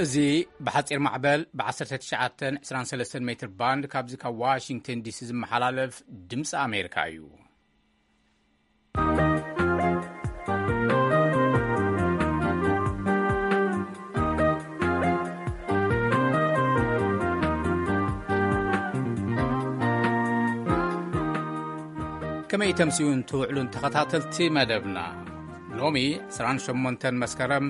እዚ ብሓጺር ማዕበል ብ19 23 ሜትር ባንድ ካብዚ ካብ ዋሽንግተን ዲሲ ዝመሓላለፍ ድምፂ ኣሜሪካ እዩ። ከመይ ተምስዩን ትውዕሉን ተኸታተልቲ መደብና? ሎሚ 28 መስከረም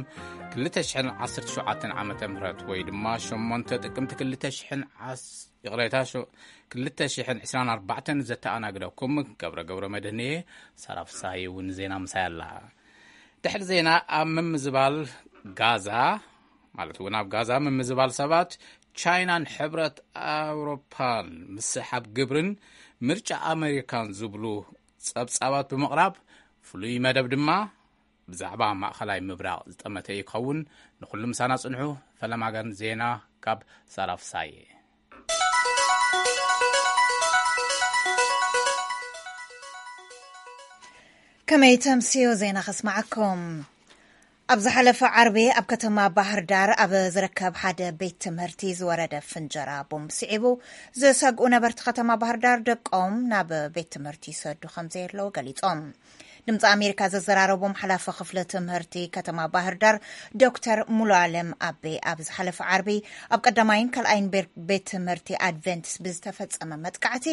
2017 ዓመተ ምህረት፣ ወይ ድማ 8 ጥቅምቲ 2000 ዓስ-፣ ይቕሬታ፣ ሾ-፣ 2024 ዘተኣናግደኩም ገብረ ገብረ መድህንየ፣ ሳራ ፍሳሐ እውን ዜና ምሳይ ኣላ። ድሕሪ ዜና ኣብ ምምዝባል ጋዛ፣ ማለት እውን ኣብ ጋዛ ምምዝባል ሰባት ቻይናን ሕብረት ኣውሮፓን ምስሓብ ግብርን ምርጫ ኣሜሪካን ዝብሉ ጸብጻባት ብምቕራብ፣ ፍሉይ መደብ ድማ ብዛዕባ ማእኸላይ ምብራቕ ዝጠመተ እዩ ክኸውን። ንኹሉ ምሳና ጽንሑ። ፈለማገን ዜና ካብ ሳራ ፍሳየ። ከመይ ተምስዮ ዜና ከስማዓኩም። ኣብ ዝሓለፈ ዓርቢ ኣብ ከተማ ባህር ዳር ኣብ ዝርከብ ሓደ ቤት ትምህርቲ ዝወረደ ፍንጀራ ቦምብ ስዒቡ፣ ዝሰግኡ ነበርቲ ከተማ ባህር ዳር ደቆም ናብ ቤት ትምህርቲ ይሰዱ ከም ዘየለዉ ገሊጾም። ድምፂ ኣሜሪካ ዘዘራረቦም ሓላፊ ክፍሊ ትምህርቲ ከተማ ባህር ዳር ዶክተር ሙሉ ኣለም ኣቤ፣ ኣብ ዝሓለፈ ዓርቢ ኣብ ቀዳማይን ካልኣይን ቤር-፣ ቤት ትምህርቲ ኣድቨንቲስት ብዝተፈጸመ መጥቃዕቲ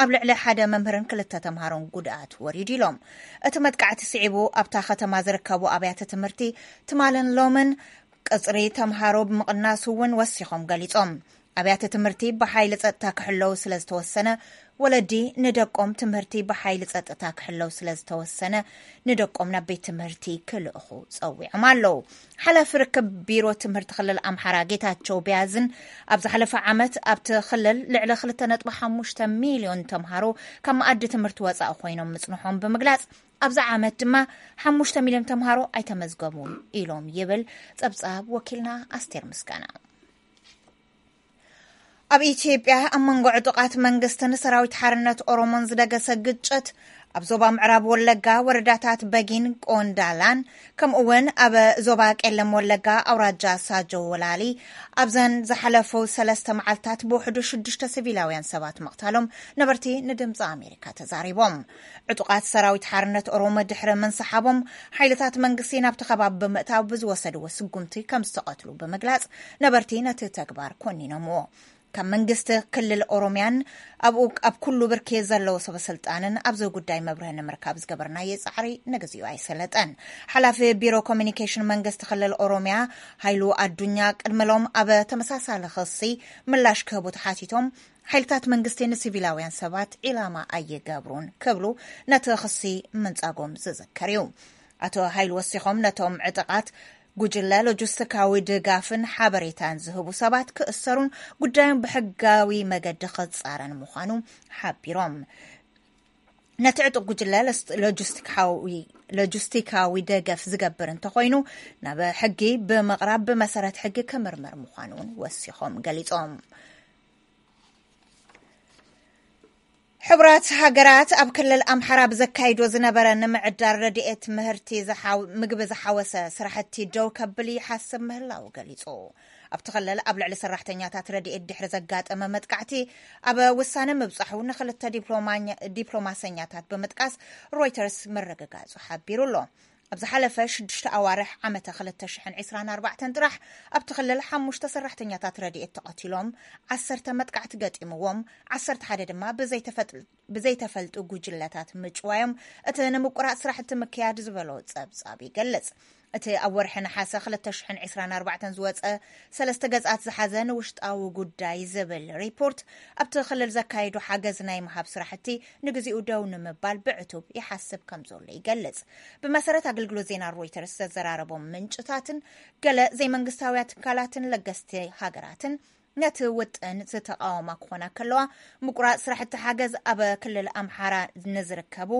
ኣብ ልዕሊ ሓደ መምህርን ክልተ ተምሃሮን ጉድኣት ወሪዱ ኢሎም። እቲ መጥቃዕቲ ስዒቡ ኣብታ ከተማ ዝርከቡ ኣብያተ ትምህርቲ ትማልን ሎምን ቅጽሪ ተምሃሮ ብምቕናሱ እውን ወሲኾም ገሊጾም። ኣብያተ ትምህርቲ ብሓይሊ ጸጥታ ክሕለዉ ስለ ዝተወሰነ፣ ወለዲ ንደቆም ትምህርቲ ብሓይሊ ጸጥታ ክሕለዉ ስለ ዝተወሰነ፣ ንደቆም ናብ ቤት ትምህርቲ ክልእኹ ጸዊዖም ኣለዉ። ሓላፊ ርክብ ቢሮ ትምህርቲ ክልል ኣምሓራ ጌታቸው ቢያዝን፣ ኣብ ዝሓለፈ ዓመት ኣብቲ ክልል ልዕሊ 2.5 ሚልዮን ተምሃሮ ካብ መኣዲ ትምህርቲ ወጻኢ ኮይኖም ምጽንሖም ብምግላጽ፣ ኣብዚ ዓመት ድማ 5 ሚልዮን ተምሃሮ ኣይተመዝገቡን ኢሎም ይብል ጸብጻብ ወኪልና ኣስቴር ምስጋና። ኣብ ኢትዮጵያ ኣብ መንጎ ዕጡቓት መንግስትን ሰራዊት ሓርነት ኦሮሞን ዝደገሰ ግጭት ኣብ ዞባ ምዕራብ ወለጋ ወረዳታት በጊን ቆንዳላን፣ ከምኡ እውን ኣብ ዞባ ቄለም ወለጋ ኣውራጃ ሳጆ ወላሊ ኣብዘን ዝሓለፉ ሰለስተ መዓልታት ብውሕዱ ሽዱሽተ ሲቪላውያን ሰባት ምቕታሎም ነበርቲ ንድምፂ ኣሜሪካ ተዛሪቦም። ዕጡቓት ሰራዊት ሓርነት ኦሮሞ ድሕሪ ምንስሓቦም፣ ሓይልታት መንግስቲ ናብቲ ከባቢ ብምእታው ብዝወሰድዎ ስጉምቲ ከም ዝተቐትሉ ብምግላጽ፣ ነበርቲ ነቲ ተግባር ኮኒኖምዎ። ካብ መንግስቲ ክልል ኦሮሚያን ኣብኡ ኣብ ኩሉ ብርኪ ዘለዉ ሰበ ስልጣንን ኣብዚ ጉዳይ መብርሂ ንምርካብ ዝገበርናዮ ጻዕሪ ንግዚኡ ኣይሰለጠን። ሓላፊ ቢሮ ኮሚኒኬሽን መንግስቲ ክልል ኦሮሚያ ሃይሉ ኣዱኛ ቅድሚ ሎም ኣብ ተመሳሳሊ ክሲ ምላሽ ክህቡ ተሓቲቶም፣ ሓይልታት መንግስቲ ንሲቪላውያን ሰባት ዒላማ ኣይገብሩን ክብሉ ነቲ ክሲ ምንጻጎም ዝዝከር እዩ። ኣቶ ሃይሉ ወሲኾም ነቶም ዕጥቓት ጉጅለ ሎጂስቲካዊ ድጋፍን ሓበሬታን ዝህቡ ሰባት ክእሰሩን ጉዳዮም ብሕጋዊ መገዲ ክጻረን ምዃኑ ሓቢሮም። ነቲ ዕጡቕ ጉጅለ ለስ-፣ ሎጂስቲካዊ፣ ሎጂስቲካዊ ደገፍ ዝገብር እንተኾይኑ ናብ ሕጊ ብምቕራብ ብመሰረት ሕጊ ክምርመር ምዃኑ እውን ወሲኾም ገሊጾም። ሕቡራት ሃገራት ኣብ ክልል ኣምሓራ ብዘካይዶ ዝነበረ ንምዕዳር ረድኤት ምህርቲ ዝሓው-፣ ምግቢ ዝሓወሰ ስራሕቲ ደው ከብል ይሓስብ ምህላው ገሊጹ። ኣብቲ ክልል ኣብ ልዕሊ ሰራሕተኛታት ረድኤት ድሕሪ ዘጋጠመ መጥቃዕቲ ኣብ ውሳነ ምብጻሑ ንክልተ ዲፕሎማኛ-፣ ዲፕሎማሰኛታት ብምጥቃስ ሮይተርስ ምርግጋጹ ሓቢሩ ኣሎ። ኣብ ዝሓለፈ ሽዱሽተ ኣዋርሕ ዓመተ 2024 ጥራሕ ኣብቲ ክልል ሓሙሽተ ሰራሕተኛታት ረድኤት ተቐቲሎም፣ ዓሰርተ መጥቃዕቲ ገጢምዎም፣ ዓሰርተ ሓደ ድማ ብዘይተፈጥ-፣ ብዘይተፈልጡ ጉጅለታት ምጭዋዮም፣ እቲ ንምቁራጽ ስራሕቲ ምክያድ ዝበሎ ጸብጻብ ይገልጽ። እቲ ኣብ ወርሒ ነሓሰ 2024 ዝወጸ ሰለስተ ገጻት ዝሓዘ ንውሽጣዊ ጉዳይ ዝብል ሪፖርት፣ ኣብቲ ክልል ዘካየዱ ሓገዝ ናይ ምሃብ ስራሕቲ ንግዚኡ ደው ንምባል ብዕቱብ ይሓስብ ከም ዘሎ ይገልጽ። ብመሰረት ኣገልግሎት ዜና ሮይተርስ ዘዘራረቦም ምንጭታትን ገለ ዘይመንግስታውያን ትካላትን ለገስቲ ሃገራትን ነቲ ውጥን ዝተቃወማ ክኾና ከለዋ፣ ምቁራጽ ስራሕቲ ሓገዝ ኣብ ክልል ኣምሓራ ንዝርከቡ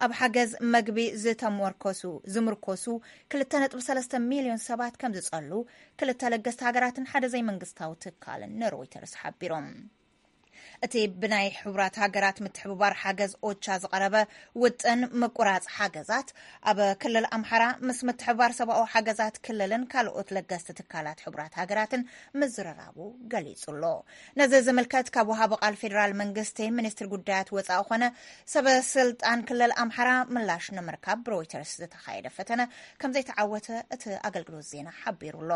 ኣብ ሓገዝ መግቢ ዝተመርኮሱ፣ ዝምርኮሱ 2.3 ሚልዮን ሰባት ከም ዝጸሉ ክልተ ለገስቲ ሃገራትን ሓደ ዘይመንግስታዊ ትካልን ንሮይተርስ ሓቢሮም። እቲ ብናይ ሕቡራት ሃገራት ምትሕብባር ሓገዝ ኦቻ ዝቐረበ ውጥን ምቁራጽ ሓገዛት፣ ኣብ ክልል ኣምሓራ ምስ ምትሕብባር ሰብኣዊ ሓገዛት ክልልን ካልኦት ለገስቲ ትካላት ሕቡራት ሃገራትን ምዝርራቡ ገሊጹ ኣሎ። ነዚ ዝምልከት ካብ ወሃቢ ቃል ፌዴራል መንግስቲ ሚኒስትሪ ጉዳያት ወጻኢ ኮነ ሰበ ስልጣን ክልል ኣምሓራ ምላሽ ንምርካብ ብሮይተርስ ዝተኻየደ ፈተነ ከም ዘይተዓወተ እቲ ኣገልግሎት ዜና ሓቢሩ ኣሎ።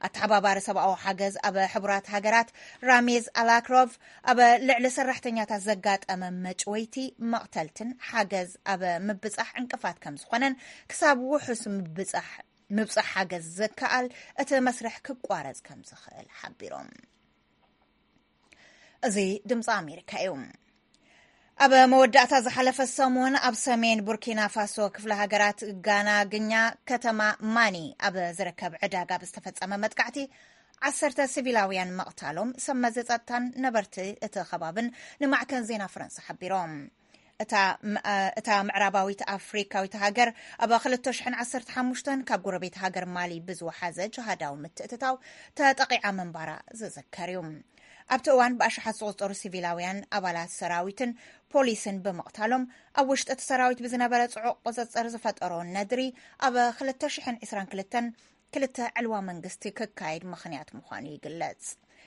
ኣተሓባባሪ ሰብኣዊ ሓገዝ ኣብ ሕቡራት ሃገራት ራሚዝ ኣላክሮቭ፣ ኣብ ልዕሊ ሰራሕተኛታት ዘጋጠመ መጭወይቲ፣ መቕተልትን ሓገዝ ኣብ ምብጻሕ ዕንቅፋት ከም ዝኾነን፣ ክሳብ ውሑስ ምብጻሕ ምብጻሕ ሓገዝ ዘከኣል እቲ መስርሕ ክቋረጽ ከም ዝኽእል ሓቢሮም። እዚ ድምፂ ኣሜሪካ እዩ። ኣብ መወዳእታ ዝሓለፈ ሰሙን ኣብ ሰሜን ቡርኪና ፋሶ ክፍለ ሃገራት ጋና ግኛ ከተማ ማኒ ኣብ ዝርከብ ዕዳጋ ብዝተፈጸመ መጥቃዕቲ ዓሰርተ ሲቪላውያን መቕታሎም ሰብ መዚ ጸጥታን ነበርቲ እቲ ከባብን ንማዕከን ዜና ፈረንሳ ሓቢሮም። እታ ም-፣ እ፣ እታ ምዕራባዊት ኣፍሪካዊት ሃገር ኣብ ክልተ ሽሕን ዓሰርተ ሓሙሽተን ካብ ጎረቤት ሃገር ማሊ ብዝወሓዘ ጅሃዳዊ ምትእትታው ተጠቂዓ ምንባራ ዝዝከር እዩ። ኣብቲ እዋን ብኣሽሓት ዝቑጸሩ ሲቪላውያን ኣባላት ሰራዊትን ፖሊስን ብምቕታሎም፣ ኣብ ውሽጢ እቲ ሰራዊት ብዝነበረ ጽዑቕ ቁጽጽር ዝፈጠሮ ነድሪ ኣብ ክልተ ሽሕን ዕስራን ክልተን ክልተ ዕልዋ መንግስቲ ክካየድ ምኽንያት ምዃኑ ይግለጽ።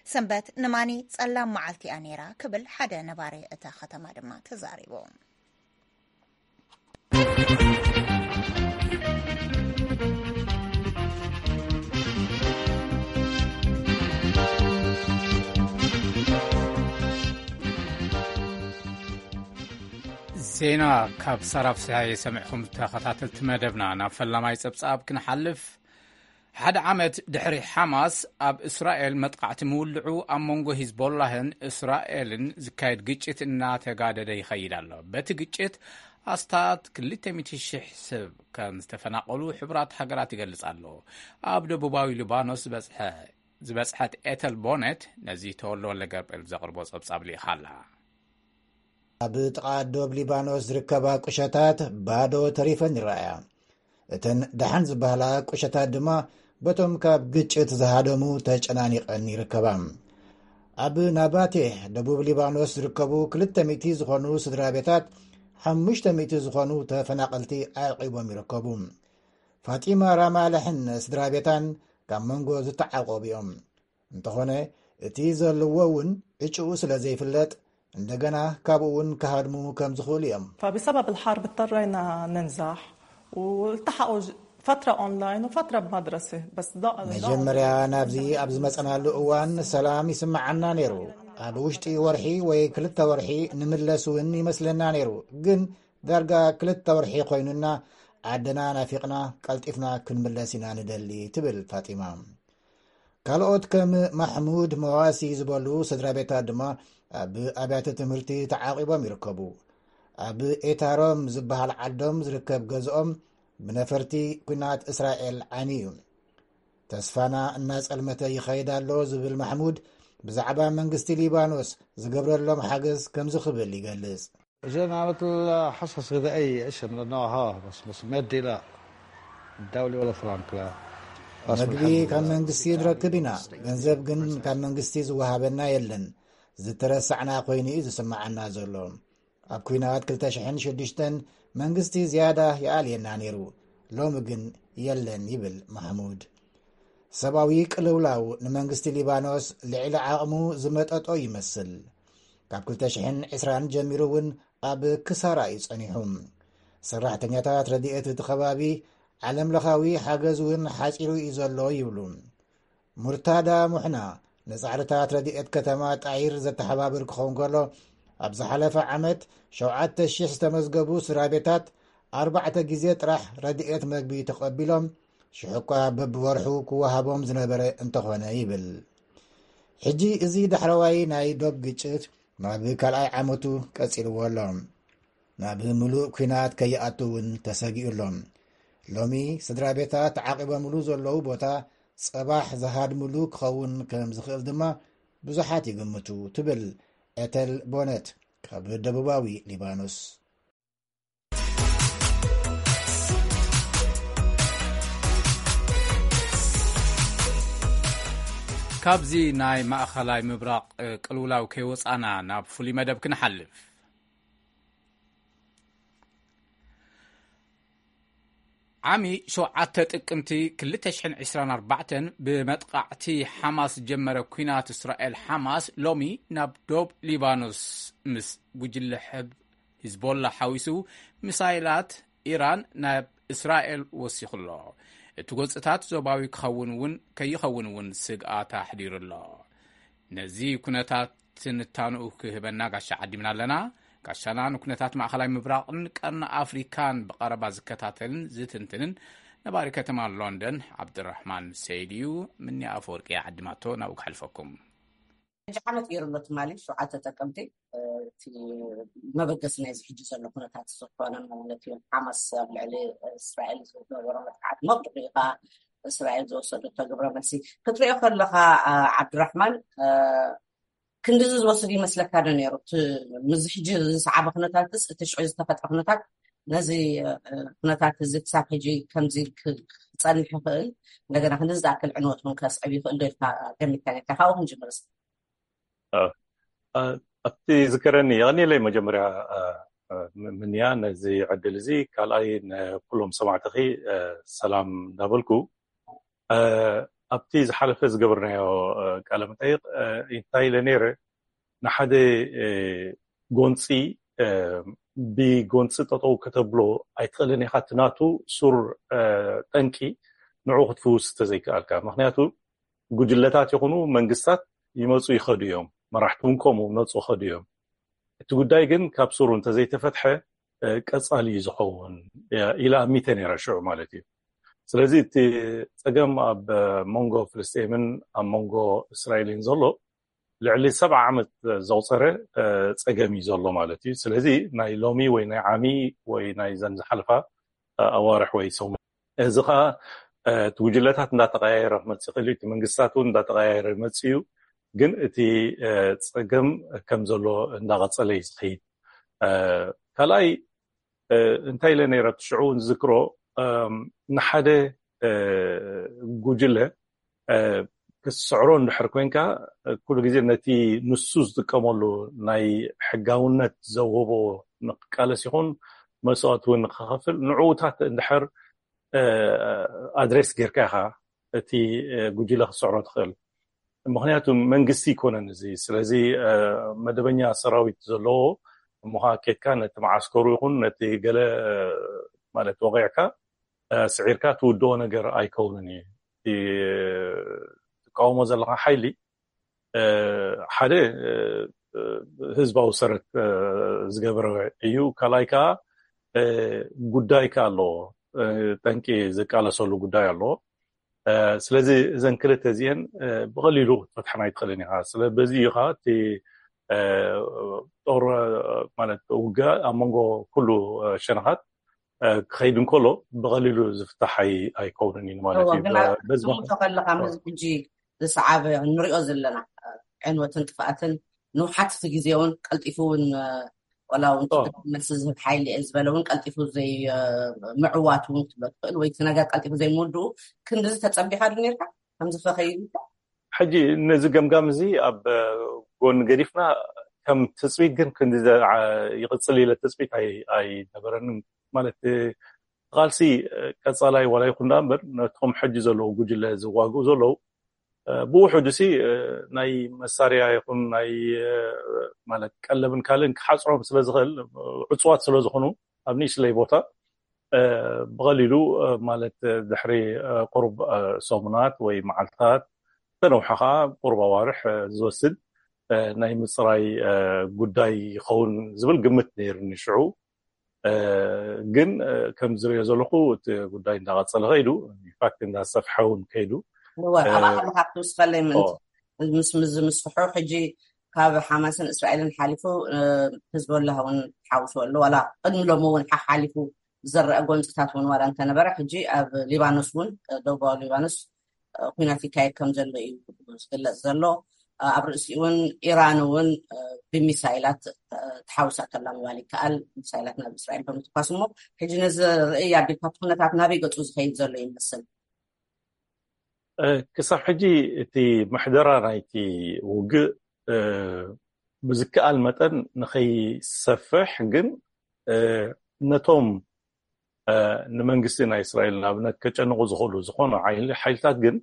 ሰንበት ንማኒ ጸላም መዓልቲ እያ ነይራ ክብል ሓደ ነባሪ እታ ከተማ ድማ ተዛሪቡ። ዜና ካብ ሳራ ፍስሃየ ሰሚዕኹም ተኸታተልቲ መደብና። ናብ ፈላማይ ጸብጻብ ክንሓልፍ፣ ሓደ ዓመት ድሕሪ ሓማስ ኣብ እስራኤል መጥቃዕቲ ምውልዑ፣ ኣብ መንጎ ሂዝቦላህን እስራኤልን ዝካየድ ግጭት እናተጋደደ ይኸይድ ኣሎ። በቲ ግጭት ኣስታት ክልተ ሚእቲ ሺሕ ሰብ ከም ዝተፈናቐሉ ሕቡራት ሃገራት ይገልጽ ኣሎ። ኣብ ደቡባዊ ሊባኖስ ዝበጽሐ-፣ ዝበጽሐት ኤተል ቦነት ነዚ ተወልደ ወልደ ገብርኤል ዘቕርቦ ጸብጻብ ልኢኻ ኣላ። ኣብ ጥቓ ዶብ ሊባኖስ ዝርከባ ቁሸታት ባዶ ተሪፈን ይረኣያ። እተን ደሓን ዝበሃላ ቁሸታት ድማ በቶም ካብ ግጭት ዝሃደሙ ተጨናኒቐን ይርከባ። ኣብ ናባቴህ ደቡብ ሊባኖስ ዝርከቡ ክልተ ሚእቲ ዝኾኑ ስድራ ቤታት ሓሙሽተ ሚእቲ ዝኾኑ ተፈናቐልቲ ኣዕቂቦም ይርከቡ። ፋጢማ ራማላሕን ስድራ ቤታን ካብ መንጎ ዝተዓቆቡ እዮም። እንተኾነ እቲ ዘለዎ እውን ዕጭኡ ስለ ዘይፍለጥ፣ እንደገና ካብኡ እውን ክሃድሙ ከም ዝኽእሉ እዮም። فبسبب الحرب اضطرينا ننزح والتحقوا فترة أونلاين وفترة بمدرسة، بس ضاع-، ضاعوا. መጀመርያ ናብዚ ኣብ ዝመጸናሉ እዋን ሰላም ይስምዓና ነይሩ። ኣብ ውሽጢ ወርሒ ወይ ክልተ ወርሒ ንምለስ እውን ይመስለና ነይሩ። ግን ዳርጋ ክልተ ወርሒ ኮይኑና፣ ዓድና ናፊቕና፣ ቀልጢፍና ክንምለስ ኢና ንደሊ፣ ትብል ፋጢማ። ካልኦት ከም ማሕሙድ መዋሲ ዝበሉ ስድራ ቤታት ድማ ኣብ ኣብያተ ትምህርቲ ተዓቂቦም ይርከቡ። ኣብ ኤታሮም ዝበሃል ዓዶም ዝርከብ ገዝኦም ብነፈርቲ ኲናት እስራኤል ዓንዩ እዩ። ተስፋና እናጸልመተ ይኸይድ ኣሎ ዝብል ማሕሙድ፣ ብዛዕባ መንግስቲ ሊባኖስ ዝገብረሎም ሓገዝ ከምዚ ክብል ይገልጽ። جينا مثل حصص غذائية، إيش إنه ها، بس، بس مادي لا. الدولة ولا فرنك لا. بس መግቢ ካብ መንግስቲ ንረክብ ኢና፣ ገንዘብ ግን ካብ መንግስቲ ዝወሃበና የለን። ዝተረሳዕና ኮይኑ እዩ ዝስምዓና ዘሎ። ኣብ ኲናት ክልተ ሽሕን ሽዱሽተን መንግስቲ ዝያዳ ይኣልየና ነይሩ፣ ሎሚ ግን የለን፣ ይብል ማሕሙድ። ሰብኣዊ ቅልውላው ንመንግስቲ ሊባኖስ ልዕሊ ዓቕሙ ዝመጠጦ ይመስል። ካብ ክልተ ሽሕን ዕስራን ጀሚሩ እውን ኣብ ክሳራ እዩ ጸኒሑ። ሰራሕተኛታት ረድኤት እቲ ከባቢ፣ ዓለምለኻዊ ሓገዝ እውን ሓጺሩ እዩ ዘሎ ይብሉ። ሙርታዳ ሙሕና ንጻዕርታት ረድኤት ከተማ ጣይር ዘተሓባብር ክኸውን ከሎ፣ ኣብ ዝሓለፈ ዓመት ሸውዓተ ሺሕ ዝተመዝገቡ ስድራ ቤታት ኣርባዕተ ግዜ ጥራሕ ረድኤት መግቢ ተቐቢሎም፣ ሽሕ እኳ በብወርሑ ክወሃቦም ዝነበረ እንተኾነ ይብል። ሕጂ እዚ ዳሕረዋይ ናይ ዶብ ግጭት ናብ ካልኣይ ዓመቱ ቀጺልዎ ኣሎ። ናብ ምሉእ ኲናት ከይኣቱ እውን ተሰጊኡ ኣሎ። ሎሚ ስድራ ቤታት ተዓቂቦምሉ ዘለዉ ቦታ ጸባሕ ዝሃድምሉ ክኸውን ከም ዝኽእል ድማ ብዙሓት ይግምቱ፣ ትብል ኤተል ቦነት ካብ ደቡባዊ ሊባኖስ። ካብዚ ናይ ማእኸላይ ምብራቕ ቅልውላው ከይወፃና ናብ ፍሉይ መደብ ክንሓልፍ። ዓሚ ሸውዓተ ጥቅምቲ ክልተ ሽሕን ዕስራን ኣርባዕተን ብመጥቓዕቲ ሓማስ ዝጀመረ ኲናት እስራኤል ሓማስ ሎሚ ናብ ዶብ ሊባኖስ ምስ ጉጅለ ሕብ ሂዝቦላ ሓዊሱ ሚሳይላት ኢራን ናብ እስራኤል ወሲኹ ኣሎ። እቲ ጎንፅታት ዞባዊ ክኸውን እውን ከይኸውን እውን ስግኣት ኣሕዲሩ ኣሎ። ነዚ ኩነታት ትንታንኡ ክህበና ጋሻ ዓዲምና ኣለና። ጋሻና ንኩነታት ማእኸላይ ምብራቕን ቀርኒ ኣፍሪካን ብቐረባ ዝከታተልን ዝትንትንን ነባሪ ከተማ ሎንደን ዓብድራሕማን ሰይድ እዩ። ምኒ ኣፈወርቂ ዓዲማቶ ናብኡ ክሓልፈኩም። ሕጂ ዓመት ገይሩ ኣሎ ትማሊ ሸውዓተ ጥቅምቲ። እቲ መበገሲ ናይዚ ሕጂ ዘሎ ኩነታት ዝኾነ ማለት እዩ። ሓማስ ኣብ ልዕሊ እስራኤል ዝነበሮ መጥቃዕቲ መብርኡ እዩ። እስራኤል ዝወሰደቶ ግብረ መልሲ ክትሪኦ ከለኻ፣ አ፣ ዓብድራሕማን፣ አ፣ ክንድዚ ዝወስድ ይመስለካ ዶ ነይሩ? እቲ ምስዚ ሕጂ ዝሰዓበ ኩነታትስ፣ እቲ ሽዑ ዝተፈጥረ ኩነታት፣ ነዚ፣ አ፣ ኩነታት እዚ ክሳብ ሕጂ ከምዚ ክ-፣ ክጸንሕ ይኽእል፣ እንደገና ክንድዚ ዝኣክል ዕንወት እውን ከስዕብ ይኽእል ዶ ኢልካ ገሚትካ ነርካ? ካብኡ ክንጅምር እስኪ። አ፣ አ፣ ኣብቲ ዝከረኒ የቐንየለይ መጀመርያ፣ አ፣ አ፣ ም-፣ ምንያ ነዚ ዕድል እዚ፣ ካልኣይ ንኩሎም ሰማዕትኺ፣ አ፣ ሰላም እንዳበልኩ፣ አ፣ ኣብቲ ዝሓለፈ ዝገበርናዮ፣ አ፣ ቃለ መጠይቕ፣ አ፣ እንታይ ኢለ ነይረ፣ ንሓደ፣ አ፣ ጎንፂ፣ አ፣ ብጎንፂ ጠጠው ከተብሎ ኣይትኽእልን ኢኻ። እቲ ናቱ ሱር፣ አ፣ ጠንቂ ንዕኡ ክትፍውስ ተዘይከኣልካ። ምኽንያቱ ጉጅለታት ይኹኑ መንግስታት ይመፁ ይኸዱ እዮም። መራሕቲ እውን ከምኡ ይመፁ ይኸዱ እዮም። እቲ ጉዳይ ግን ካብ ሱሩ እንተዘይተፈትሐ፣ እ፣ ቀጻሊ እዩ ዝኸውን፣ እ፣ ኢለ ኣሚተ ነይረ ሽዑ ማለት እዩ። ስለዚ እቲ ጸገም ኣብ መንጎ ፍልስጤምን ኣብ መንጎ እስራኤልን ዘሎ ልዕሊ ሰብዓ ዓመት ዘቑጸረ፣ እ፣ ጸገም እዩ ዘሎ ማለት እዩ። ስለዚ ናይ ሎሚ ወይ ናይ ዓሚ ወይ ናይ ዘን ዝሓልፋ፣ እ፣ ኣዋርሕ ወይ ሰሙን፣ እዚ ኸኣ፣ እ፣ እቲ ጉጅለታት እንዳተቐያየረ ክመጽእ ይኽእል እዩ። እቲ መንግስታት እውን እንዳተቐያየረ ይመጽእ እዩ። ግን እቲ፣ እ፣ ጸገም ከም ዘሎ እንዳቐጸለ እዩ ዝኸይድ። እ፣ ካልኣይ፣ እ፣ እንታይ ኢለ ነይረ ኣብቲ ሽዑ እውን ዝዝክሮ፣ እም፣ ንሓደ፣ እ፣ ጉጅለ፣ እ፣ ክትስዕሮ እንድሕር ኮንካ፣ እ፣ ኩሉ ግዜ ነቲ ንሱ ዝጥቀመሉ ናይ ሕጋውነት ዘውህቦ ንክቃለስ ይኹን መስዋእቲ እውን ንክኸፍል ንዕኡታት እንድሕር፣ እ፣ ኣድሬስ ጌርካ ኢኻ እቲ፣ እ፣ ጉጅለ ክትስዕሮ ትኽእል። ምኽንያቱ መንግስቲ ይኮነን እዚ። ስለዚ፣ እ፣ መደበኛ ሰራዊት ዘለዎ እሞ ኸዓ ኬድካ ነቲ መዓስከሩ ይኹን ነቲ ገለ፣ እ፣ ማለት ወቒዕካ፣ እ፣ ስዒርካ ትውድኦ ነገር ኣይከውንን እዩ። እቲ ትቃወሞ ዘለኻ ሓይሊ፣ እ፣ ሓደ፣ እ፣ እ፣ ህዝባዊ ሰረት፣ እ፣ ዝገበረ እዩ። ካልኣይ ከኣ፣ እ፣ ጉዳይ ከኣ ኣለዎ። እ፣ ጠንቂ ዝቃለሰሉ ጉዳይ ኣለዎ። እ፣ ስለዚ እዘን ክልተ እዚአን፣ እ፣ ብቐሊሉ ክትፈትሓን ኣይትኽእልን ኢኻ። ስለ በዚ እዩ ኸዓ እቲ፣ እ፣ ጦር፣ እ፣ ማለት ውግእ ኣብ መንጎ ኩሉ፣ እ፣ ሸነኻት፣ እ፣ ክኸይድ እንከሎ ብቐሊሉ ዝፍታሕ ኣይ-፣ ኣይከውንን እዩ ማለት እዎ፣ እዩ። ግን ኣብ በ-፣ በዚ ትምቶ ምኽንያት ከለኻ፣ እ። ምስዚ ሕጂ ዝሰዓበ ንሪኦ ዘለና፣ እ፣ ዕንወትን ጥፍኣትን ንውሓት እቲ ግዜ እውን ቀልጢፉ እውን፣ እ፣ ወላ እውን ኦ። መልሲ ዝህብ ሓይሊ እየ ዝበለ እውን ቀልጢፉ ዘይ-፣ እ፣ ምዕዋት እውን ክትብሎ ትኽእል፣ ወይ እቲ ነገር ቀልጢፉ ዘይምውድኡ ክንድዚ ተጸቢኻ ዶ ነርካ? ከምዚ ከኸይድ ኢልካ? ሕጂ ነዚ ገምጋም እዚ ኣብ፣ እ፣ ጎኒ ገዲፍና፣ ከም ትጽቢት ግን ክንዲ ዘ-፣ ዓ-፣ ይቕጽል ኢለ ትጽቢት ኣይ-፣ ኣይነበረንን። ማለት፣ እ፣ ቃልሲ፣ እ፣ ቀጻላይ ዋላ ይኹን ደኣ እምበር፣ ነቶም ሕጂ ዘለዉ ጉጅለ ዝዋግኡ ዘለዉ፣ እ፣ ብውሕዱ ሲ፣ እ፣ ናይ መሳርያ ይኹን ናይ፣ እ፣ ማለት ቀለብን ካልእን ክሓጽሮም ስለ ዝኽእል፣ እ፣ ዕጹዋት ስለ ዝኾኑ ኣብ ንእሽለይ ቦታ፣ እ፣ ብቐሊሉ፣ እ፣ ማለት፣ እ፣ ድሕሪ፣ እ፣ ቁሩብ፣ እ፣ ሰሙናት ወይ መዓልታት፣ ዝተነውሐ ኸኣ ቁሩብ ኣዋርሕ፣ እ፣ ዝወስድ፣ እ፣ ናይ ምጽራይ፣ እ፣ ጉዳይ ይኸውን ዝብል ግምት ነይሩኒ ሽዑ። እ፣ ግን፣ እ፣ ከም ዝሪኦ ዘለኹ እቲ ጉዳይ እንዳቐጸለ ከይዱ፣ ኢንፋክት እንዳሰፍሐ እውን ከይዱ። እወ፣ እ፣ ኣብኣ ከለኻ ክትውስኸለይ ምእንቲ ኦ። ምስ፣ ምስ ዝምስፍሑ ሕጂ ካብ ሓማስን እስራኤልን ሓሊፉ፣ እ፣ ህዝቦላህ እውን ሓዊሱ ኣሎ። ዋላ ቅድሚ ሎሚ እውን ሓሓሊፉ ዝረአ ጎንፅታት እውን ዋላ እንተነበረ፣ ሕጂ ኣብ ሊባኖስ እውን፣ እ፣ ደቡባዊ ሊባኖስ፣ እ፣ ኲናት ይካየድ ከም ዘሎ እዩ ዝግለጽ ዘሎ። እ፣ ኣብ ርእሲኡ እውን ኢራን እውን፣ እ፣ ብሚሳይላት፣ እ፣ ተሓውሳ ከላ ምባል ይከኣል። ሚሳይላት ናብ እስራኤል ብምትኳስ እሞ፣ ሕጂ ነዚ ርእይ ኣቢልካ እቲ ኩነታት ናበይ ገጹ ዝኸይድ ዘሎ ይመስል? ክሳብ ሕጂ እቲ ምሕደራ ናይቲ ውግእ ብዝከኣል መጠን ንኸይሰፍሕ ግን ነቶም ንመንግስቲ ናይ እስራኤል ንኣብነት ከጨንቑ ዝኽእሉ ዝኾኑ ሓይልታት ግን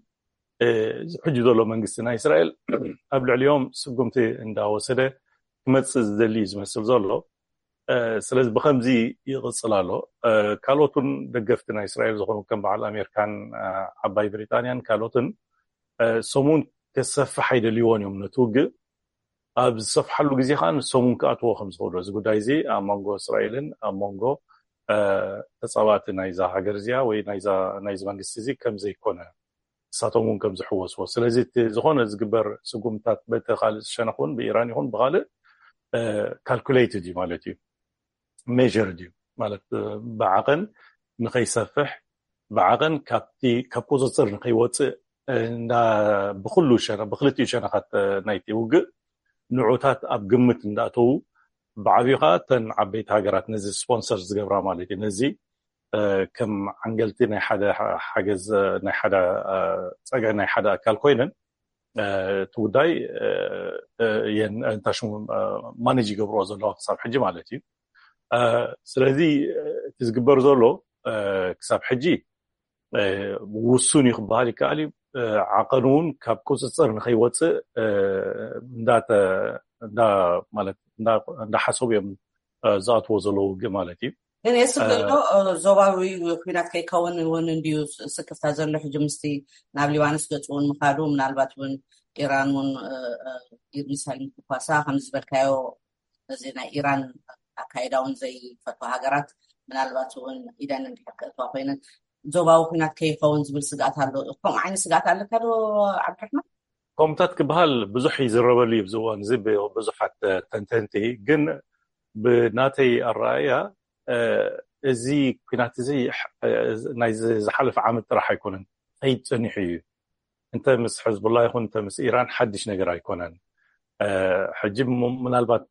ሕጂ ዘሎ መንግስቲ ናይ እስራኤል ኣብ ልዕሊኦም ስጉምቲ እንዳወሰደ ክመፅእ ዝደሊ እዩ ዝመስል ዘሎ። ስለዚ ብከምዚ ይቕፅል ኣሎ። ካልኦት እውን ደገፍቲ ናይ እስራኤል ዝኾኑ ከም በዓል ኣሜሪካን ዓባይ ብሪጣንያን ካልኦትን ሰሙን ከሰፍሕ ኣይደልይዎን እዮም ነቲ ውግእ። ኣብ ዝሰፍሓሉ ግዜ ከዓ ንሶም እውን ክኣትዎ ከም ዝኽእሉ እዚ ጉዳይ እዚ ኣብ መንጎ እስራኤልን ኣብ መንጎ ተፃባእቲ ናይዛ ሃገር እዚኣ ወይ ናይዚ መንግስቲ እዚ ከም ዘይኮነ እሳቶም እውን ከም ዝሕወስዎ። ስለዚ እቲ ዝኾነ ዝግበር ስጉምታት በቲ ካልእ ሸነኽ እውን ብኢራን ይኹን ብካልእ ካልኩሌትድ እዩ ማለት እዩ፣ ሜር እዩ ማለት ብዓቐን ንኸይሰፍሕ ብዓቐን ካብቲ ካብ ቁፅፅር ንኸይወፅእ ብኩሉ ብክልቲኡ ሸነኻት ናይቲ ውግእ ንዑታት ኣብ ግምት እንዳእተዉ ብዓብዩ ከዓ ተን ዓበይቲ ሃገራት ነዚ ስፖንሰር ዝገብራ ማለት እዩ ነዚ ከም ዓንገልቲ ናይ ሓደ ሓገዝ ናይ ሓደ ፀግዒ ናይ ሓደ ኣካል ኮይነን እቲ ጉዳይ እንታሽሙ ማኔጅ ይገብርዎ ዘለዋ ክሳብ ሕጂ ማለት እዩ። ስለዚ እቲ ዝግበር ዘሎ ክሳብ ሕጂ ውሱን እዩ ክበሃል ይከኣል እዩ። ዓቐኑ እውን ካብ ቁፅፅር ንኸይወፅእ እንዳሓሰቡ እዮም ዝኣትዎ ዘለዉ ውግእ ማለት እዩ። ግን የስብ ዘሎ ዞባዊ ኩናት ከይከውን እውን እንድዩ ስክፍታ ዘሎ ሕጂ ምስቲ ናብ ሊባኖስ ገፁ እውን ምኻዱ ምናልባት እውን ኢራን እውን ሚሳይል ምትኳሳ ከምዚ ዝበልካዮ እዚ ናይ ኢራን ኣካይዳ እውን ዘይፈትዋ ሃገራት ምናልባት እውን ኢደን እንድሕር ክእትዋ ኮይነን ዞባዊ ኩናት ከይኸውን ዝብል ስግኣት ኣሎ። ከምኡ ዓይነት ስግኣት ኣለካ ዶ ዓብድራሕማን? ከምታት ክበሃል ብዙሕ ይዝረበሉ እዩ ኣብዚ እዋን እዚ ብዙሓት ተንተንቲ። ግን ብናተይ ኣረኣእያ እዚ ኩናት እዚ ናይ ዝሓለፈ ዓመት ጥራሕ ኣይኮነን፣ ከይድ ጸኒሑ እዩ። እንተ ምስ ሕዝቡላ ይኹን እንተ ምስ ኢራን ሓድሽ ነገር ኣይኮነን። ሕጂ ምናልባት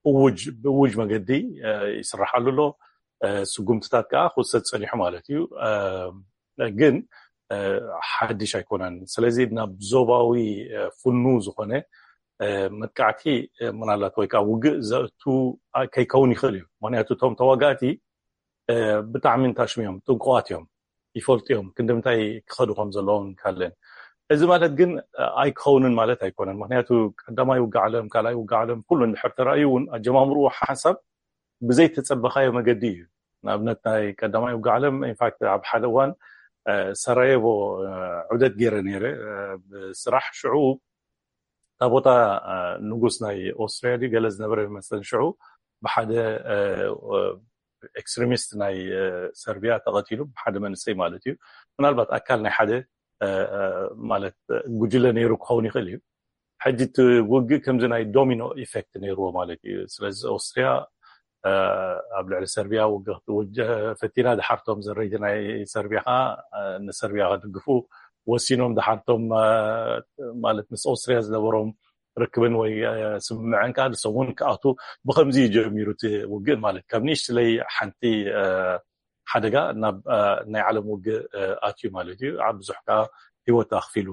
እውጅ ብእውጅ መገዲ ይስራሓሉ ኣሎ። ስጉምትታት ከዓ ክውሰድ ጸኒሑ ማለት እዩ። ግን ሓድሽ ኣይኮነን። ስለዚ ናብ ዞባዊ ፍኑ ዝኾነ መጥቃዕቲ ምናልባት ወይ ከዓ ውግእ ዘእቱ ከይከውን ይኽእል እዩ። ምክንያቱ እቶም ተዋጋእቲ ብጣዕሚ እንታሽሙ እዮም፣ ጥንቁቓት እዮም፣ ይፈልጡ እዮም ክንዲ ምንታይ ክኸዱ ከም ዘለዎም ካልእን። እዚ ማለት ግን ኣይክኸውንን ማለት ኣይኮነን። ምክንያቱ ቀዳማይ ውግእ ዓለም፣ ካልኣይ ውግእ ዓለም ኩሉ እንድሕር ተራእዩ እውን ኣጀማምርኡ ሓንሳብ ብዘይተጸበኻዮ መገዲ እዩ። ንኣብነት ናይ ቀዳማይ ውግእ ዓለም ኢንፋክት ኣብ ሓደ እዋን ሰራየቮ ዑደት ገይረ ነይረ ብስራሕ። ሽዑ እታ ቦታ ንጉስ ናይ ኦስትሪያ ድዩ ገለ ዝነበረ ይመስለኒ። ሽዑ ብሓደ ኤክስትሪሚስት ናይ ሰርቢያ ተቐቲሉ፣ ብሓደ መንእሰይ ማለት እዩ። ምናልባት ኣካል ናይ ሓደ ማለት ጉጅለ ነይሩ ክኸውን ይኽእል እዩ። ሕጂ እቲ ውግእ ከምዚ ናይ ዶሚኖ ኢፌክት ነይርዎ ማለት እዩ። ስለዚ ኦስትሪያ ኣብ ልዕሊ ሰርቢያ ውግእ ክትውጀ ፈቲና፣ ድሓርቶም ዘረይቲ ናይ ሰርቢያ ከዓ ንሰርቢያ ከድግፉ ወሲኖም፣ ድሓርቶም ማለት ምስ ኦስትሪያ ዝነበሮም ርክብን ወይ ስምምዕን ከዓ ንሶም እውን ክኣቱ ብከምዚ እዩ ጀሚሩ እቲ ውግእ ማለት ካብ ንእሽትለይ ሓንቲ ሓደጋ ናብ ናይ ዓለም ውግእ ኣትዩ ማለት እዩ። ኣብ ብዙሕ ከዓ ህይወት ኣኽፊሉ።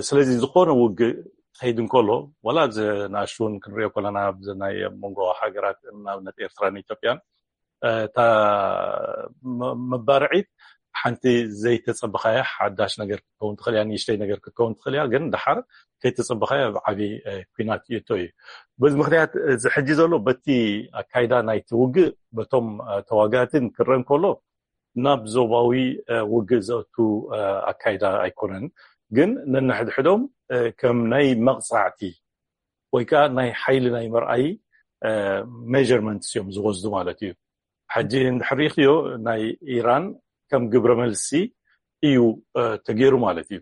ስለዚ ዝኾነ ውግእ ክኸይድ እንከሎ ዋላ ኣብዚ ንኣሽቱ እውን ክንሪኦ ከለና ኣብዚ ናይ መንጎ ሃገራት ንኣብነት ኤርትራን ኢትዮጵያን እታ መባርዒት ሓንቲ ዘይተጸበኻያ ሓዳሽ ነገር ክትከውን ትኽእል እያ፣ ንእሽተይ ነገር ክትከውን ትኽእል እያ፣ ግን ደሓር ከይተጸበኻያ ኣብ ዓቢ ኩናት ይእቶ እዩ። በዚ ምክንያት እዚ ሕጂ ዘሎ በቲ ኣካይዳ ናይቲ ውግእ በቶም ተዋጋእትን ክረአ እንከሎ ናብ ዞባዊ ውግእ ዘእቱ ኣካይዳ ኣይኮነን፣ ግን ነንሕድሕዶም ከም ናይ መቕጻዕቲ ወይ ከዓ ናይ ሓይሊ ናይ መርኣይ ሜርመንትስ እዮም ዝወስዱ ማለት እዩ። ሕጂ እንድሕር ሪእኽዮ ናይ ኢራን ከም ግብረ መልሲ እዩ ተገይሩ ማለት እዩ።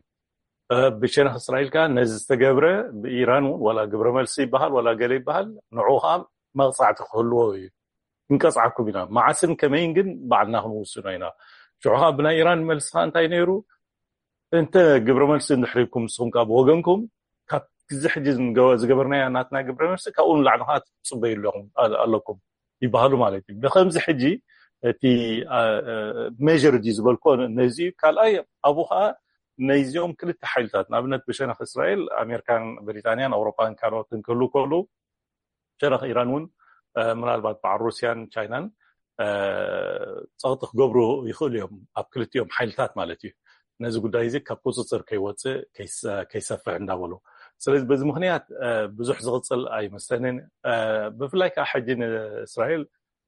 ብሸነኽ እስራኤል ከዓ ነዚ ዝተገብረ ብኢራን እውን ዋላ ግብረ መልሲ ይበሃል ዋላ ገለ ይበሃል ንዑ ከዓ መቕፃዕቲ ክህልዎ እዩ። ክንቀፅዓኩም ኢና። መዓስን ከመይን ግን ባዕልና ክንውስኖ ኢና። ሽዑ ከዓ ብናይ ኢራን መልሲ ከዓ እንታይ ነይሩ? እንተ ግብረ መልሲ እንድሕር ኢልኩም ንስኹም ከዓ ብወገንኩም ካብ ግዜ ሕጂ ዝገበርናያ ናትና ግብረ መልሲ ካብኡ ንላዕሊ ከዓ ትፅበዩ ኣለኹም ኣለኩም ይበሃሉ ማለት እዩ። ብከምዚ ሕጂ እቲ ሜር ድዩ ዝበልኮ ነዚ እዩ። ካልኣይ ኣብኡ ከዓ ነዚኦም ክልተ ሓይልታት፣ ንኣብነት ብሸነኽ እስራኤል ኣሜሪካን ብሪጣንያን ኣውሮፓን ካልኦትን ክህሉ ከሉ፣ ሸነኽ ኢራን እውን ምናልባት በዓል ሩስያን ቻይናን ፀቕጢ ክገብሩ ይኽእሉ እዮም፣ ኣብ ክልቲኦም ሓይልታት ማለት እዩ። ነዚ ጉዳይ እዚ ካብ ቁፅፅር ከይወፅእ ከይሰፍሕ እንዳበሉ፣ ስለዚ በዚ ምክንያት ብዙሕ ዝቕፅል ኣይመስለንን። ብፍላይ ከዓ ሕጂ ንእስራኤል፣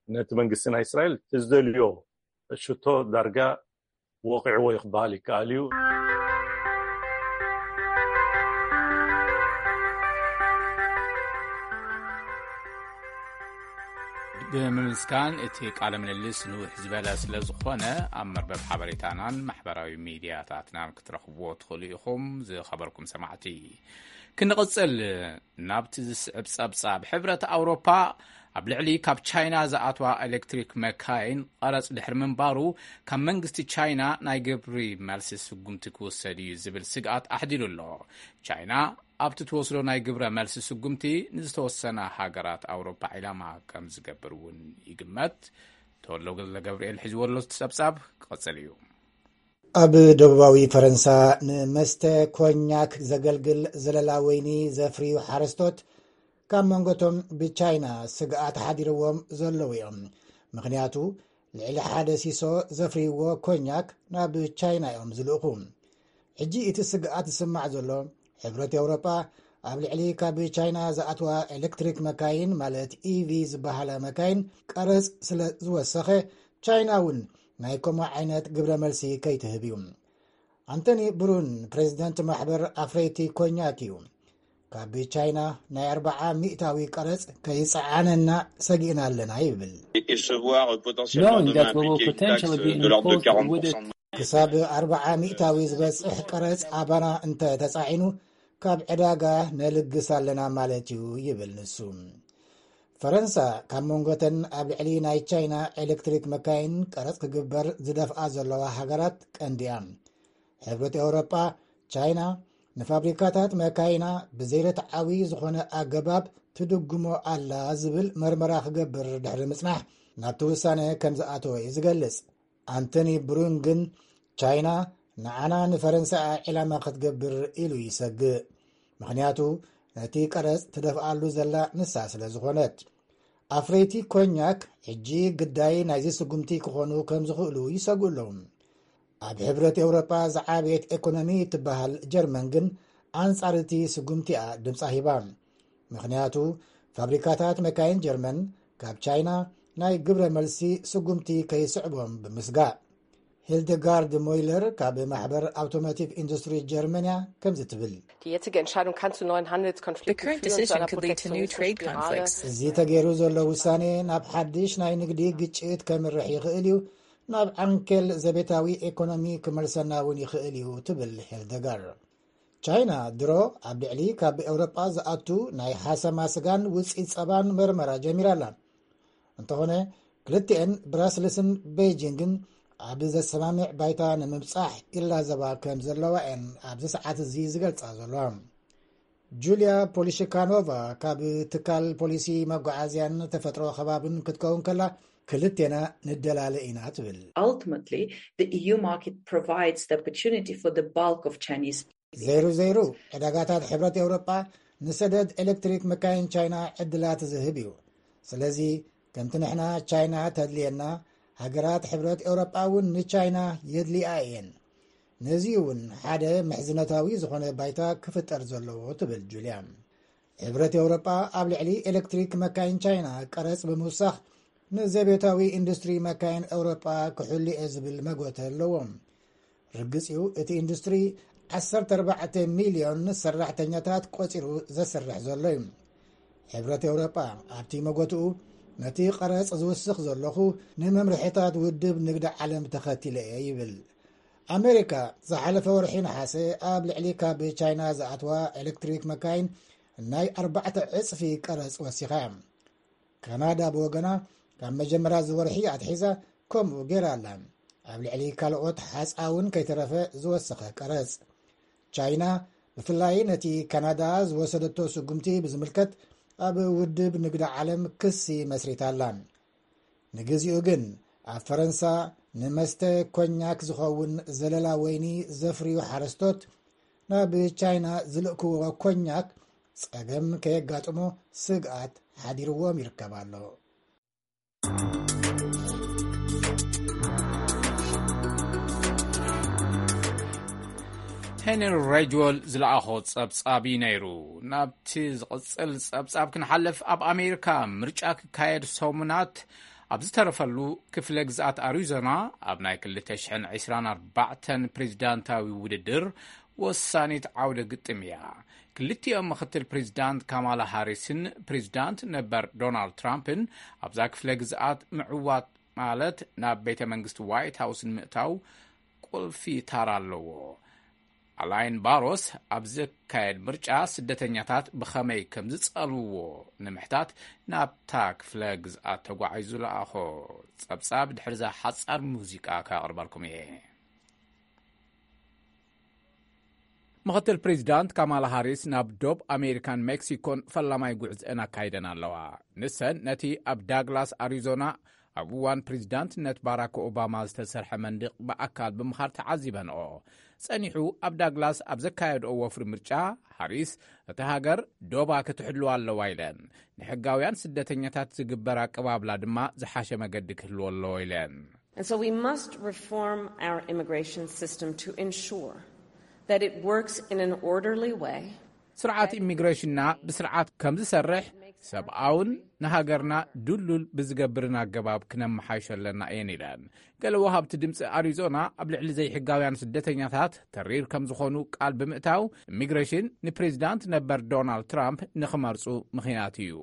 ነቲ መንግስቲ ናይ እስራኤል ትዝደልዮ ሽቶ ዳርጋ ወቂዕዎ ይክበሃል ይከኣል እዩ። ብምምስጋን እቲ ቃለ ምልልስ ንውሕ ዝበለ ስለ ዝኾነ ኣብ መርበብ ሓበሬታናን ማሕበራዊ ሚድያታትናን ክትረኽብዎ ትኽእሉ ኢኹም። ዝኸበርኩም ሰማዕቲ፣ ክንቕጽል፣ ናብቲ ዝስዕብ ጸብጻብ፣ ሕብረት ኣውሮፓ ኣብ ልዕሊ ካብ ቻይና ዝኣትዋ ኤሌክትሪክ መካይን ቀረጽ ድሕሪ ምንባሩ፣ ካብ መንግስቲ ቻይና ናይ ግብሪ መልሲ ስጉምቲ ክውሰድ እዩ ዝብል ስግኣት ኣሕዲሩ ኣሎ። ቻይና ኣብቲ ትወስዶ ናይ ግብረ መልሲ ስጉምቲ ንዝተወሰና ሃገራት ኣውሮፓ ዒላማ ከም ዝገብር እውን ይግመት። ተወሎ ገለ ገብርኤል ሒዝዎ ኣሎ ጸብጻብ ክቐጽል እዩ። ኣብ ደቡባዊ ፈረንሳ ንመስተ ኮኛክ ዘገልግል ዘለላ ወይኒ ዘፍርዩ ሓረስቶት ካብ መንጎቶም ብቻይና ስግኣት ሓዲርዎም ዘለዉ እዮም። ምኽንያቱ ልዕሊ ሓደ ሲሶ ዘፍርይዎ ኮኛክ ናብ ቻይና እዮም ዝልእኹ። ሕጂ እቲ ስግኣት ዝስማዕ ዘሎ ሕብረት ኤውሮጳ ኣብ ልዕሊ ካብ ቻይና ዝኣትዋ ኤሌክትሪክ መካይን ማለት ኢቪ ዝበሃላ መካይን ቀረጽ ስለ ዝወሰኸ ቻይና እውን ናይ ከምኡ ዓይነት ግብረ መልሲ ከይትህብ እዩ። ኣንቶኒ ብሩን ፕሬዚደንት ማሕበር ኣፍረይቲ ኮኛክ እዩ። ካብ ቻይና ናይ ኣርባዓ ሚእታዊ ቀረጽ ከይጸዓነና ሰጊእና ኣለና ይብል። Knowing that we will potentially be imposed with ክሳብ ኣርባዓ ሚእታዊ ዝበጽሕ ቀረጽ ኣባና እንተ ተጻዒኑ ካብ ዕዳጋ ነልግስ ኣለና ማለት እዩ ይብል ንሱ። ፈረንሳ ካብ መንጎተን ኣብ ልዕሊ ናይ ቻይና ኤሌክትሪክ መካይን ቀረጽ ክግበር ዝደፍኣ ዘለዋ ሃገራት ቀንዲያ። ሕብረት ኤውሮጳ ቻይና ንፋብሪካታት መካይና ብዘይርትዓዊ ዝኾነ ኣገባብ ትድጉሞ ኣላ ዝብል መርመራ ክገብር ድሕሪ ምጽናሕ ናብቲ ውሳነ ከም ዝኣተወ እዩ ዝገልጽ። ኣንቶኒ ብሩን ግን ቻይና ንዓና ንፈረንሳ ዕላማ ክትገብር ኢሉ ይሰግእ። ምኽንያቱ ነቲ ቀረጽ ትደፍኣሉ ዘላ ንሳ ስለ ዝኾነት። ኣፍረይቲ ኮኛክ ሕጂ ግዳይ ናይዚ ስጉምቲ ክኾኑ ከም ዝኽእሉ ይሰግኡ ኣለዉ። ኣብ ሕብረት ኤውሮጳ ዝዓበየት ኤኮኖሚ እትበሃል ጀርመን ግን ኣንጻር እቲ ስጉምቲ እያ ድምጻ ሂባ። ምኽንያቱ ፋብሪካታት መካይን ጀርመን ካብ ቻይና ናይ ግብረ መልሲ ስጉምቲ ከይስዕቦም ብምስጋእ። ሂልደጋርድ ሞይለር ካብ ማሕበር ኣውቶሞቲቭ ኢንዱስትሪ ጀርመንያ ከምዚ ትብል። Die jetzige Entscheidung kann zu neuen Handelskonflikten The current führen, zu decision einer could lead to new Protektionismus- trade conflicts. እዚ ተገይሩ ዘሎ ውሳኔ ናብ ሓድሽ ናይ ንግዲ ግጭት ከምርሕ ይኽእል እዩ፣ ናብ ዓንኬል ዘቤታዊ ኤኮኖሚ ክመልሰና እውን ይኽእል እዩ ትብል ሄልደጋር። ቻይና ድሮ ኣብ ልዕሊ ካብ ኤውሮጳ ዝኣቱ ናይ ሓሰማ ስጋን ውፅኢት ጸባን መርመራ ጀሚራ ኣላ። እንተኾነ ክልቲኤን ብራስልስን ቤይጂንግን ኣብ ዘሰማምዕ ባይታ ንምብጻሕ ይላዘባ ከም ዘለዋ እየን ኣብዚ ሰዓት እዚ ዝገልጻ ዘለዋ። ጁልያ ፖሊሽካኖቫ ካብ ትካል ፖሊሲ መጓዓዝያን ተፈጥሮ ከባብን ክትከውን ከላ ክልቴና ንደላለ ኢና ትብል። Ultimately, the E U market provides the opportunity for the bulk of Chinese ዘይሩ ዘይሩ ዕዳጋታት ሕብረት ኤውሮጳ ንሰደድ ኤሌክትሪክ መካይን ቻይና ዕድላት ዝህብ እዩ። ስለዚ ከምቲ ንሕና ቻይና ተድልየና፣ ሃገራት ሕብረት ኤውሮጳ እውን ንቻይና የድልያ እየን። ነዚ እውን ሓደ ምሕዝነታዊ ዝኾነ ባይታ ክፍጠር ዘለዎ ትብል ጁልያ። ሕብረት ኤውሮጳ ኣብ ልዕሊ ኤሌክትሪክ መካይን ቻይና ቀረጽ ብምውሳኽ ንዘቤታዊ ኢንዱስትሪ መካይን ኤውሮጳ ክሕሉ እየ ዝብል መጎተ ኣለዎም። ርግጽ እዩ እቲ ኢንዱስትሪ ዓሰርተ ኣርባዕተ ሚልዮን ሰራሕተኛታት ቆጺሩ ዘስርሕ ዘሎ እዩ። ሕብረት ኤውሮጳ ኣብቲ መጎትኡ ነቲ ቀረጽ ዝውስኽ ዘለኹ ንመምርሒታት ውድብ ንግዲ ዓለም ተኸቲለ እየ ይብል። ኣሜሪካ ዝሓለፈ ወርሒ ነሓሰ ኣብ ልዕሊ ካብ ቻይና ዝኣትዋ ኤሌክትሪክ መካይን ናይ ኣርባዕተ ዕጽፊ ቀረጽ ወሲኻ እያ። ካናዳ ብወገና ካብ መጀመርያ ዝወርሒ ኣትሒዛ ከምኡ ገይራ ኣላ። ኣብ ልዕሊ ካልኦት ሓፃውን ከይተረፈ ዝወሰኸ ቀረፅ። ቻይና ብፍላይ ነቲ ካናዳ ዝወሰደቶ ስጉምቲ ብዝምልከት ኣብ ውድብ ንግዲ ዓለም ክሲ መስሪታ ኣላ። ንግዚኡ ግን ኣብ ፈረንሳ ንመስተ ኮኛክ ዝኸውን ዘለላ ወይኒ ዘፍርዩ ሓረስቶት ናብ ቻይና ዝልእክዎ ኮኛክ ጸገም ከየጋጥሞ ስግኣት ሓዲርዎም ይርከብ ኣሎ። ሄንሪ ሬጅወል ዝለኣኾ ጸብጻብ እዩ ነይሩ። ናብቲ ዝቕጽል ጸብጻብ ክንሓልፍ፣ ኣብ ኣሜሪካ ምርጫ ክካየድ ሰሙናት ኣብ ዝተረፈሉ ክፍለ ግዝኣት ኣሪዞና ኣብ ናይ ክልተ ሽሕን ዕስራን ኣርባዕተን ፕሬዚዳንታዊ ውድድር ወሳኒት ዓውደ ግጥም እያ። ክልቲኦም ምኽትል ፕሬዚዳንት ካማላ ሃሪስን ፕሬዚዳንት ነበር ዶናልድ ትራምፕን ኣብዛ ክፍለ ግዝኣት ምዕዋት ማለት ናብ ቤተ መንግስቲ ዋይት ሃውስ ንምእታው ቁልፊ ታራ ኣለዎ። ኣላይን ባሮስ ኣብ ዝካየድ ምርጫ ስደተኛታት ብኸመይ ከም ዝጸልውዎ ንምሕታት ናብታ ክፍለ ግዝኣት ተጓዒዙ ለኣኾ። ጸብጻብ ድሕርዛ ሓጻር ሙዚቃ ከቕርበልኩም እየ። ምኽትል ፕሬዚዳንት ካማላ ሃሪስ ናብ ዶብ ኣሜሪካን ሜክሲኮን ፈላማይ ጉዕዝአን ኣካይደን ኣለዋ። ንሰን ነቲ ኣብ ዳግላስ ኣሪዞና ኣብ እዋን ፕሬዚዳንትነት ባራክ ኦባማ ዝተሰርሐ መንድቕ ብኣካል ብምኻድ ተዓዚበንኦ። ጸኒሑ ኣብ ዳግላስ ኣብ ዘካየድኦ ወፍሪ ምርጫ፣ ሃሪስ እቲ ሃገር ዶባ ክትሕልዋ ኣለዋ ኢለን፣ ንሕጋውያን ስደተኛታት ዝግበር ኣቀባብላ ድማ ዝሓሸ መገዲ ክህልዎ ኣለዎ ኢለን። And so we must reform our immigration system to ensure that it works in an orderly way. ስርዓት ኢሚግሬሽንና ብስርዓት ከም ዝሰርሕ፣ ሰብኣውን ንሃገርና ድሉል ብዝገብርን ኣገባብ ክነመሓይሾ ኣለና እየን ኢለን። ገለ ወሃብቲ ድምፂ ኣሪዞና ኣብ ልዕሊ ዘይሕጋውያን ስደተኛታት ተሪር ከም ዝኾኑ ቃል ብምእታው፣ ኢሚግሬሽን ንፕሬዚዳንት ነበር ዶናልድ ትራምፕ ንኽመርፁ ምኽንያት እዩ።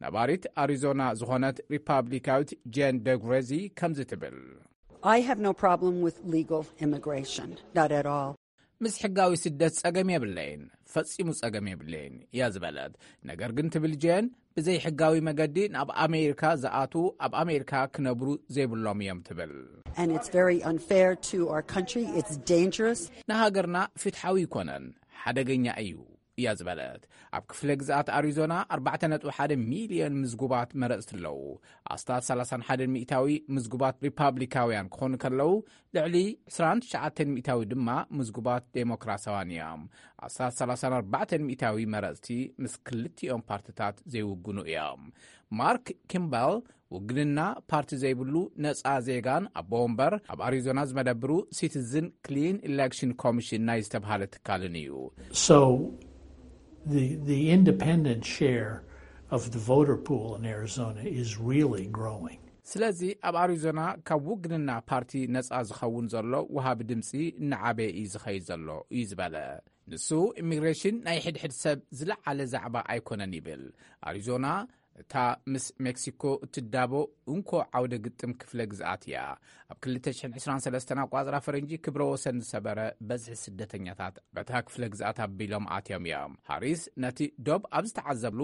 ነባሪት ኣሪዞና ዝኾነት ሪፓብሊካዊት ጄን ደግሬዚ ከምዚ ትብል። I have no problem with legal immigration, not at all. ምስ ሕጋዊ ስደት ጸገም የብለይን፣ ፈጺሙ ጸገም የብለይን እያ ዝበለት። ነገር ግን ትብል ጄን፣ ብዘይ ሕጋዊ መገዲ ናብ ኣሜሪካ ዝኣትዉ ኣብ ኣሜሪካ ክነብሩ ዘይብሎም እዮም ትብል። And it's very unfair to our country. It's dangerous. ንሃገርና ፍትሓዊ ኣይኮነን፣ ሓደገኛ እዩ እያ ዝበለት። ኣብ ክፍለ ግዝኣት ኣሪዞና ኣርባዕተ ነጥቢ ሓደ ሚልዮን ምዝጉባት መረጽቲ ኣለዉ። ኣስታት ሰላሳን ሓደን ሚእታዊ ምዝጉባት ሪፓብሊካውያን ክኾኑ ከለዉ፣ ልዕሊ ዕስራን ትሽዓተን ሚእታዊ ድማ ምዝጉባት ዴሞክራሲያውያን እዮም። ኣስታት ሰላሳን ኣርባዕተን ሚእታዊ መረጽቲ ምስ ክልቲኦም ፓርትታት ዘይውግኑ እዮም። ማርክ ኪምበል ውግንና ፓርቲ ዘይብሉ ነጻ ዜጋን ኣቦ ወንበር ኣብ ኣሪዞና ዝመደብሩ ሲቲዝን ክሊን ኢሌክሽን ኮሚሽን ናይ ዝተብሃለ ትካልን እዩ። So the the independent share of the voter pool in Arizona is really growing. ስለዚ ኣብ ኣሪዞና ካብ ውግንና ፓርቲ ነጻ ዝኸውን ዘሎ ወሃቢ ድምፂ እናዓበየ እዩ ዝኸይድ ዘሎ እዩ ዝበለ። ንሱ ኢሚግሬሽን ናይ ሕድሕድ ሰብ ዝለዓለ ዛዕባ ኣይኮነን ይብል። ኣሪዞና እታ ምስ ሜክሲኮ እትዳቦ እንኮ ዓውደ ግጥም ክፍለ ግዝኣት እያ። ኣብ ክልተ ሽሕን ዕስራን ሰለስተን ኣቋጽራ ፈረንጂ ክብረ ወሰን ዝሰበረ በዝሒ ስደተኛታት በታ ክፍለ ግዝኣት ኣቢሎም ኣትዮም እዮም። ሃሪስ ነቲ ዶብ ኣብ ዝተዓዘብሉ፣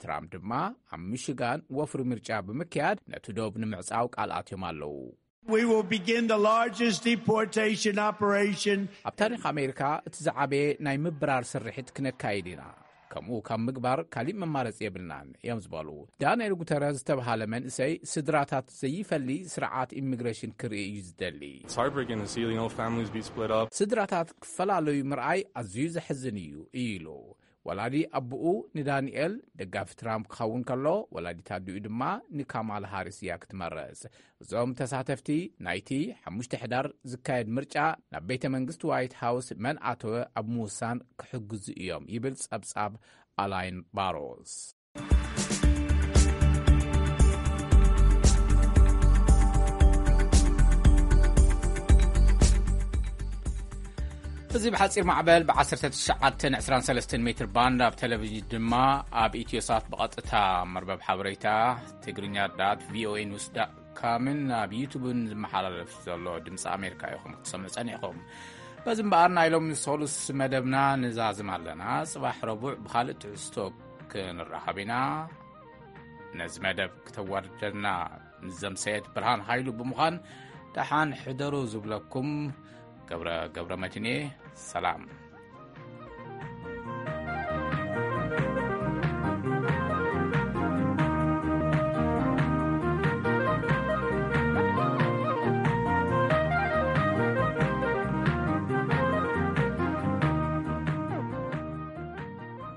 ትራምፕ ድማ ኣብ ሚሽጋን ወፍሪ ምርጫ ብምክያድ ነቲ ዶብ ንምዕጻው ቃል ኣትዮም ኣለዉ። We will begin the largest deportation operation. ኣብ ታሪኽ ኣሜሪካ እቲ ዝዓበየ ናይ ምብራር ስርሒት ክነካይድ ኢና። ከምኡ ካብ ምግባር ካሊእ መማረፂ የብልናን እዮም ዝበሉ። ዳንኤል ጉተረዝ ዝተብሃለ መንእሰይ ስድራታት ዘይፈሊ ስርዓት ኢሚግሬሽን ክርኢ እዩ ዝደሊ። It's heartbreaking to see, you know, families be split up. ስድራታት ክፈላለዩ ምርኣይ ኣዝዩ ዘሕዝን እዩ ኢሉ። ወላዲ ኣቦኡ ንዳንኤል ደጋፊ ትራምፕ ክኸውን ከሎ፣ ወላዲት ኣዲኡ ድማ ንካማላ ሃሪስ እያ ክትመርጽ። እዞም ተሳተፍቲ ናይቲ ሓሙሽተ ሕዳር ዝካየድ ምርጫ ናብ ቤተ መንግስቲ ዋይት ሃውስ መን ኣተወ ኣብ ምውሳን ክሕግዙ እዮም ይብል ጸብጻብ ኣላይን ባሮስ። እዚ ብሓፂር ማዕበል ብ1923 ሜትር ባንድ ኣብ ቴሌቪዥን ድማ ኣብ ኢትዮሳት ብቐጥታ መርበብ ሓበሬታ ትግርኛ ዳት ቪኦኤ ኒውስ ዳት ካምን ኣብ ዩቱብን ዝመሓላለፍ ዘሎ ድምፂ ኣሜሪካ ኢኹም ክትሰምዑ ፀኒሕኹም። በዚ እምበኣር ናይ ሎሚ ሰሉስ መደብና ንዛዝም ኣለና። ፅባሕ ረቡዕ ብኻልእ ትሕዝቶ ክንራኸብ ኢና። ነዚ መደብ ክተዋርደና ንዘምሰየት ብርሃን ሃይሉ ብምዃን ደሓን ሕደሩ ዝብለኩም ገብረ ገብረ መድህን እየ። ሰላም።